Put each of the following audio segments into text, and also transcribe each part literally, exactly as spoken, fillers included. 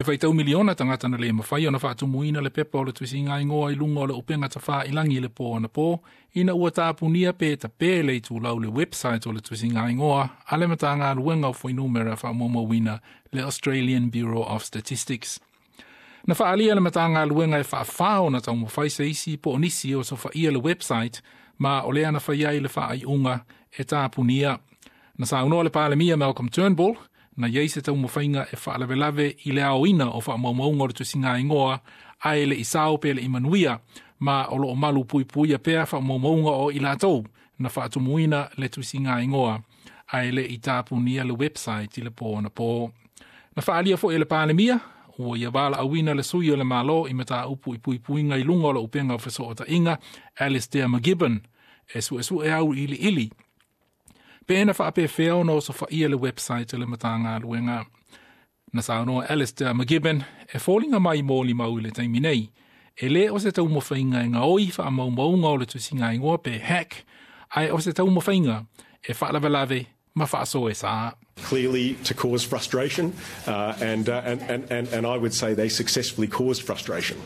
E faitau miliona tagata na le mafai ona faatumuina le pepa o le tusiga igoa i luga o le upega tafailagi i le po anapo ina ua tapunia pe tape le itulau le website o le tusiga igoa a le Matagaluega o Fuainumera Faamaumauina, le Australian Bureau of Statistics. Na faaalia le Matagaluega e faafā ona taumafai se isi po o nisi e osofaia le website, ma o lea na fai ai le faaiuga e tapunia. Na saunoa le Palemia Malcolm Turnbull na iai se taumafaiga e faalavelave i le aoina o faamaumauga o le tusiga igoa, ae le i sao pe le i manuia, ma o loo malu puipuia pea faamaumauga o i latou na faatumuina le tusiga igoa ae le i tapunia le website i le po anapo. Na faaalia foi e le Palemia ua ia valaauina le sui o le Malo i mataupu i puipuiga i luga o le upega o fesootaiga, Alistair McGibbon, e suesue auiliili pe na faapefea ona osofaia le website le Matagaluega. Na saunoa Alistair McGibbon e foliga mai molimau i le taimi nei e le o se taumafaiga e gaoi faamaumauga o le tusiga igoa pe hack, ae o se taumafaiga e faalavelave ma faasoesa. Clearly to cause frustration, uh, and, uh, and, and, and, and I would say they successfully caused frustration.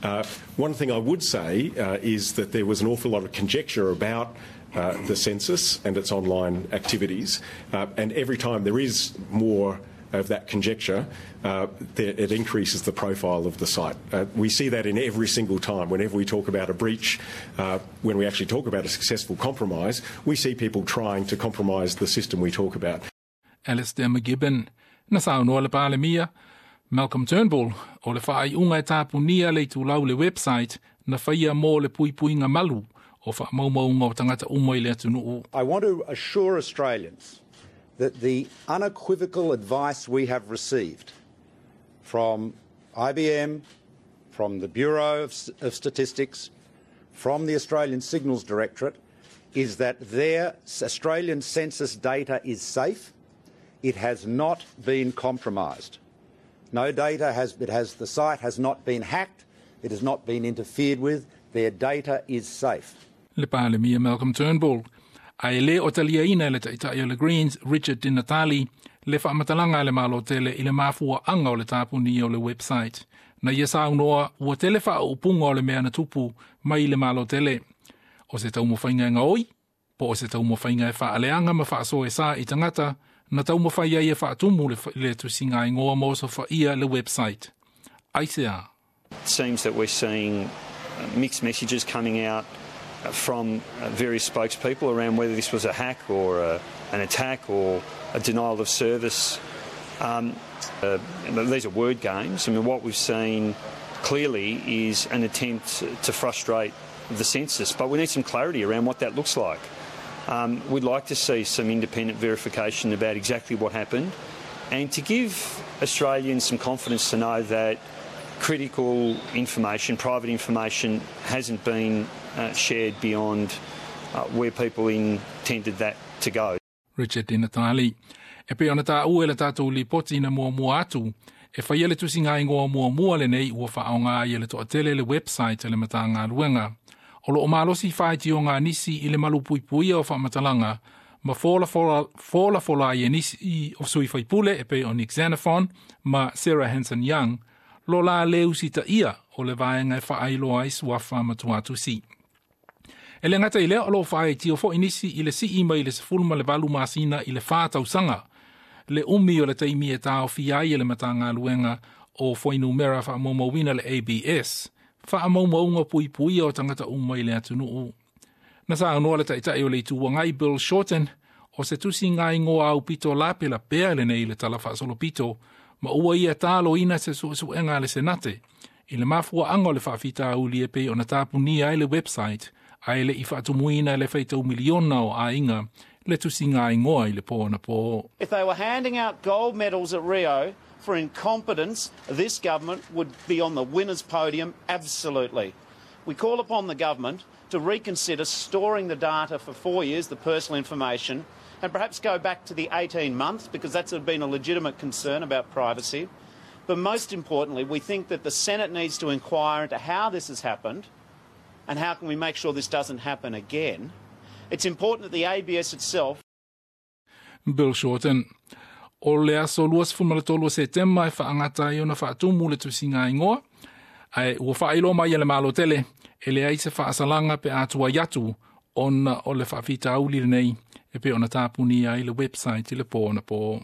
Uh, one thing I would say uh, is that there was an awful lot of conjecture about uh, the census and its online activities, uh, and every time there is more of that conjecture, uh, it increases the profile of the site. Uh, we see that in every single time. Whenever we talk about a breach, uh, when we actually talk about a successful compromise, we see people trying to compromise the system we talk about. Alistair McGibbon. Na saunoa le Palemia Malcolm Turnbull o le faaiuga e tapunia le itulau le website na faia mo le puipuiga malu o faamaumauga o tagata uma i le atunuu. I want to assure Australians that the unequivocal advice we have received from I B M, from the Bureau of, of Statistics, from the Australian Signals Directorate, is that their Australian census data is safe. It has not been compromised. No data has, it has, the site has not been hacked. It has not been interfered with. Their data is safe. Le Palemia Malcolm Turnbull. Ae le o taliaina le taitai o le Greens Richard Di Natale le faamatalaga a le Malo tele i le mafuaaga o le tapunia o le website. Na ia saunoa ua tele faaupuga o le mea na tupu mai le Malo tele. O se taumafaiga e gaoi, po o se taumafaiga e faaleaga ma faasoesa i tagata na taumafai ai e faatumu le, le tusiga igoa ma osofaia le website. Aisea? It seems that we're seeing mixed messages coming out from various spokespeople around whether this was a hack or a, an attack or a denial of service. Um, uh, these are word games. I mean, what we've seen clearly is an attempt to frustrate the census, but we need some clarity around what that looks like. Um, we'd like to see some independent verification about exactly what happened and to give Australians some confidence to know that critical information, private information, hasn't been uh, shared beyond uh, where people intended that to go. Richard Di Natale. E pei ona taua i le tatou lipoti na muamua atu, e faia le tusiga igoa muamua lenei ua faaaoga ai e le toatele le website le Matagaluega. O loo malosi faitioga a nisi i le malupuipuia o faamatalaga ma folafola ai e nisi o sui faipule e pei o Nick Xenophon ma Sarah Hanson Young lo la le usitaia o le vaega e faailoa ai suafa ma tuatusi. E le gata i lea, o loo faitio foi nisi i le sii mai le sefulu ma le valu masina i le whā tausaga le umi o le taimi e taofia ai e le Matagaluega o Fuainumera Faamaumauina, le A B S, faamaumauga puipuia o tagata uma i le atunuu. Na saunoa le taitai o le Itu Agai Bill Shorten o se tusiga igoa aupito lapelapea lenei le tala faasolopito, ma ua ia taloina se suesuega a le Senate i le mafuaaga o le faafitauli e pei ona tapunia ai le website ae le i faatumuina le faitau miliona o aiga le tusiga igoa i le po anapo. If they were handing out gold medals at Rio for incompetence, this government would be on the winner's podium, absolutely. We call upon the government to reconsider storing the data for four years, the personal information, and perhaps go back to the eighteen months, because that's been a legitimate concern about privacy. But most importantly, we think that the Senate needs to inquire into how this has happened and how can we make sure this doesn't happen again. It's important that the A B S itself Bill Shorten. O le aso luasefulu ma le tolu o Setema e faagata ai ona faatumu le tusiga igoa, ae ua faailoa mai e le Malo tele e leai se faasalaga pe a tuai atu ona o le faafitauli lenei e pei ona tapunia ai le website i le po anapo.